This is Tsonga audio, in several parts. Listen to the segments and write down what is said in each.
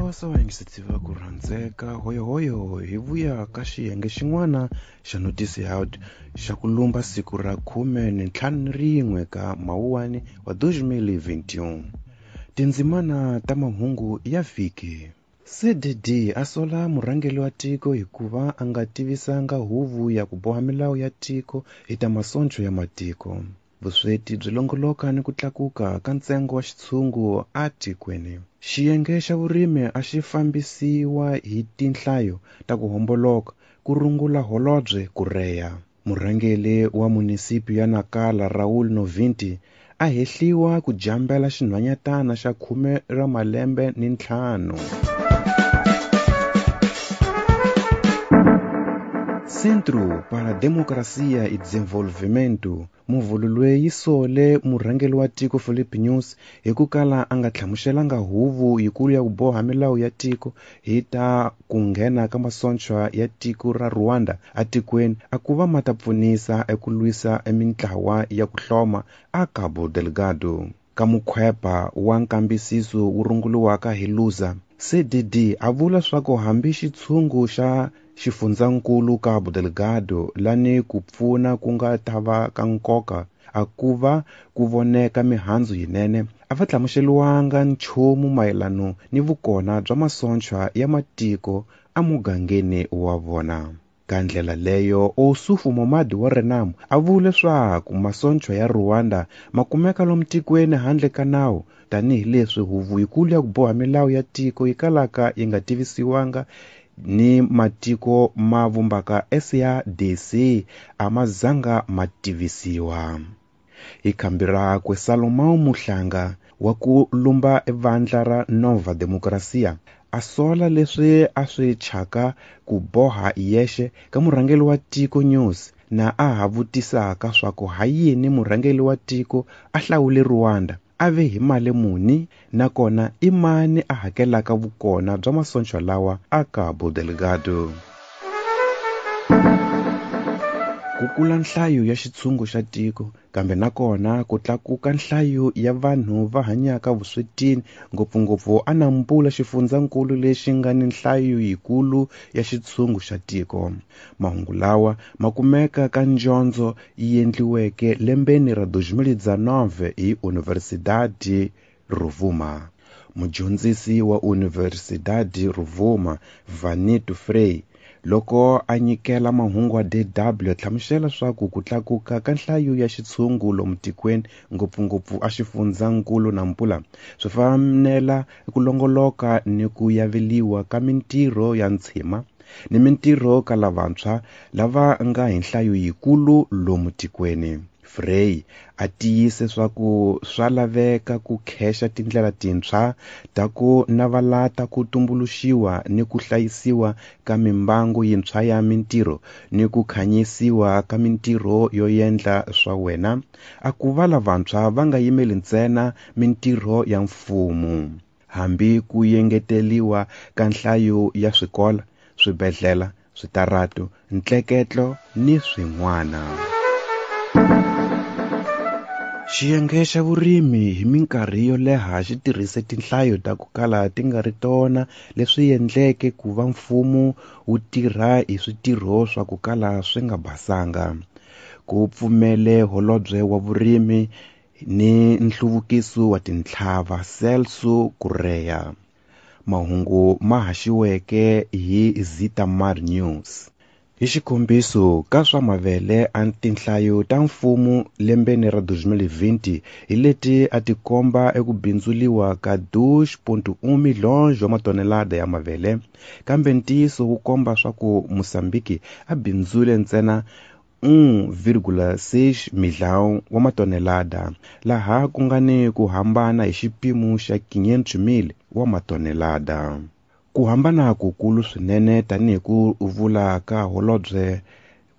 Phosa vayingiseti va ku rhandzeka hoyohoyo hi vuya ka xiyenge xin'wana xa notisi out xa ku lumba siku ra 51 ka Mawuwani wa 2021. Tindzimana ta mahungu ya vhiki. CDD a sola murhangeri wa tiko hikuva a nga tivisanga huvo ya ku boha milawu ya tiko hi ta masoncho ya matiko. Vusweti byi longoloka ni ku tlakuka ka ntsengo wa xitshungu atikweni. Xiyenge xa vurimi a xi fambisiwa hi tinhlayo ta ku homboloka, ku rungula Holobye Kureya. Murhangeri wa munisipi ya Nacala Raul Novinti a hehliwa ku jambela xinhwanyatana xa 15 ra malembe. Centro para Democracia e Desenvolvimento muvhulu yi sole murhangeri wa tiko Filipe Nyusi hi ku kala a nga hlamuselanga huvo yikulu ya ku boha milawu ya tiko hi ta ku nghena ka masonchwa ya tiko ra Rwanda atikweni a ku va ma ta pfunisa eku lwisa emintlawa ya ku hloma a Cabo Delgado. Ka mukhwepa wa nkambisiso wu runguriwaka hi Lusa, CDD a vula swa ku hambi xitshungu xa xifundzankulu Cabo Delgado lani ku pfuna ku nga ta va ka nkoka a ku va ku voneka mihandzu yinene a va hlamuseriwanga nchumu mayelano ni vukona bya masonchwa ya matiko emugangeni wa vona. Ka ndlela leyo Oussoufou Momad wa Renamo a vule leswaku masonchwa ya Rwanda ma kumeka lomu tikweni handle ka nawu tanihileswi huvo yikulu ya ku boha milawu ya tiko yi kalaka yi nga tivisiwanga ni matiko ma vumbaka SADC a ma zanga ma tivisiwa. Hi khambi rakwe Salomão Muhlanga wa ku lumba evandla ra Nova Democracia a sola leswi a swi chaka ku boha yexe ka murhangeri wa tiko Nyusi na a ha vutisaka swa ku ha yini murhangeri wa tiko a hlawule Rwanda a ve hi mali muni nakona i mani a hakelaka vukona bya masonchwa lawa a Cabo Delgado. Ku kula nhlayo ya xitshungu xa tiko kambe nakona ku tlakuka nhlayo ya vanhu va hanyaka vuswetini ngopfungopfu a Nampula xifundzankulu lexi nga ni nhlayo yikulu ya xitshungu xa tiko. Mahungu lawa ma kumeka ka njondzo yi endliweke lembeni ra 2019 hi Universidade Rovuma. Mudyondzisi wa Universidade Rovuma Vanito Frey loko a nyikela mahungu ya DW hlamusela swa ku ku tlakuka ka nhlayo ya xitshungu lomu tikweni ngopfungopfu a xifundzankulu Nampula swi fanela ku longoloka ni ku yaveliwa ka mintirho ya ntshima ni mintirho ka lavantshwa lava nga hi nhlayo yikulu lomu tikweni. Frey a tiyise swa ku swa laveka ku khexa tindlela tintshwa ta ku navalata ku tumbuluxiwa ni ku hlayisiwa ka mimbangu yintshwa ya mintirho ni ku khanyisiwa ka mintirho yo endla swa wena a ku va lavantshwa va nga yimeli ntsena mintirho ya mfumo hambi ku yengeteliwa ka nhlayo ya swikolo, swibedhlele, switaratu, ntleketlo ni swin'wana. Xiyenge xa vurimi hi minkarhi yo leha xi tirhise tinhlayo ta ku kala ti nga ri tona leswi endleke ku va mfumo wu tirha hi switirho swa ku kala swi nga basanga. Ku pfumele holobye wa vurimi ni nhluvukiso wa tintlhava Celso Correia. Mahungu ma haxiweke hi Zitamar News. Hi xikombiso ka swa mavele a tinhlayo ta mfumo lembeni ra 2020 hi leti a ti komba eku bindzuliwa ka 2.1 milhões wa matonelada ya mavele kambe ntiyiso wu komba swa ku Mozambique a bindzule ntsena 1,6 milhão wa matonelada laha ku nga ni ku hambana hi xipimo xa 500,000 wa matonelada. Ku hambana kukulu swinene tanihi ku vula ka Holobye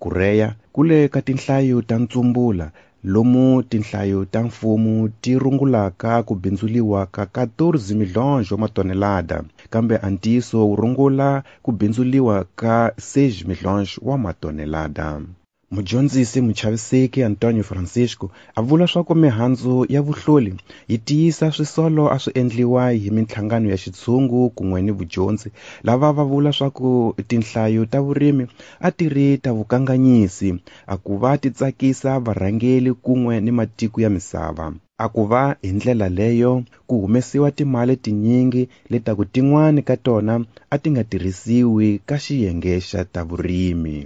Correia ku le ka tinhlayo ta ntsumbula lomu tinhlayo ta mfumo ti rungulaka ku bindzuliwa ka 14 milhões wa matonelada kambe a ntiyiso wu rungula ku bindzuliwa ka 6 milhões wa matonelada. Mudyondzisi muchaviseki Antonio Francisco a vula swa ku mihandzu ya vuhloli yi tiyisa swisolo a swi endliwa hi minhlangano ya xitshungu kun'we ni vudyondzi lava va vula swa ku tinhlayo ta vurimi a ti ri ta vukanganyisi a ku va ti tsakisa varhangeli kun'we ni matiko ya misava. A ku va hi ndlela leyo ku humesiwa timali tinyingi letaku tin'wani ka tona a ti nga tirhisiwi ka xiyenge xa ta vurimi.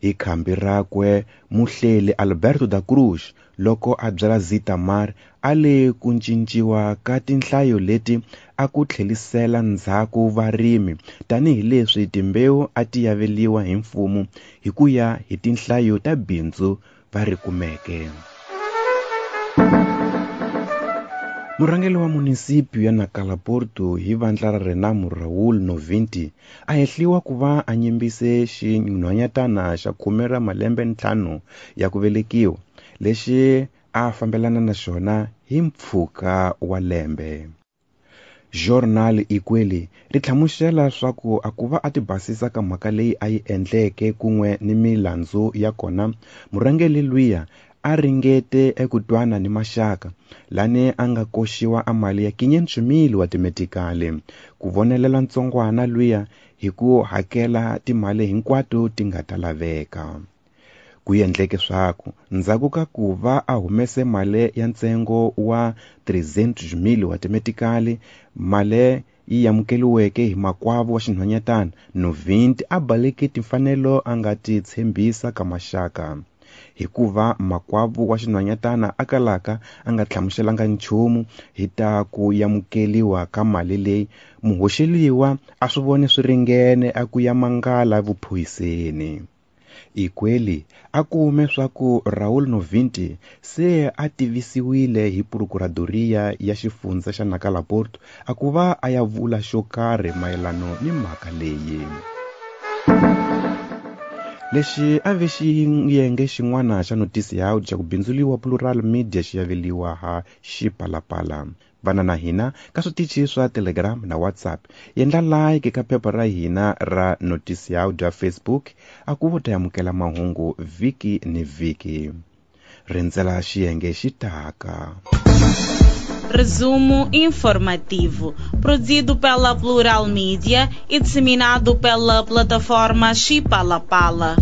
Hi khambi rakwe muhleli Alberto da Cruz loko a byela Zitamar a le ku cinciwa ka tinhlayo leti a ku tlhelisela ndzhaku varimi tanihileswi timbewu a ti yaveliwa hi mfumo hi ku ya hi tinhlayo ta bindzu va ri kumeke. Murhangeri wa munisipyu ya Nacala Porto hi vandla ra Renamo Raul Novinti a hehliwa ku va a nyimbise xinhwanyatana xa 15 ya ku velekiwa lexi a fambelana na xona hi mpfhuka wa lembe. Jornal Ikweli ri hlamusela swa ku a ku va a ti basisa ka mhaka leyi a yi endleke kun'we ni milandzu ya kona, murhangeri luya a ringete eku twana ni maxaka lani a nga koxiwa a mali ya 500,000 wa timetikali ku vonelela ntsongwana luya hi ku hakela timali hinkwato ti nga ta laveka. Ku endleke swaku ndzhaku ka ku va a humese mali ya ntsengo wa 300,000 wa timetikali, mali yi amukeliweke hi makwavo wa xinhwanyatana Novinti a baleke timfanelo a nga ti tshembisa ka maxaka. Hikuva makwavo wa xinhwanyatana a kalaka a nga hlamuselanga nchumu hi ta ku amukeliwa ka mali leyi, muhoxeliwa a swi vone swi ringene a ku ya mangala vuphoyiseni. Ikweli a kume swa ku Raul Novinti se a tivisiwile hi Procuradoria ya xifundza xa Nacala Porto a ku va a ya vula xo karhi mayelano ni mhaka leyi. Lexi a ve xiyenge xin'wana xa notisi ya audio ku bindzuliwa Plural Media xi yaveliwa ha Xipalapala. Vana na hina ka switichi swa Telegram na WhatsApp. Yendla like ka phepha ra hina ra notisi ya audio ya Facebook a ku vo ta amukela mahungu vhiki ni vhiki. Rindzela xiyenge xi taka. Resumo informativo, produzido pela Plural Media e disseminado pela plataforma Xipalapala.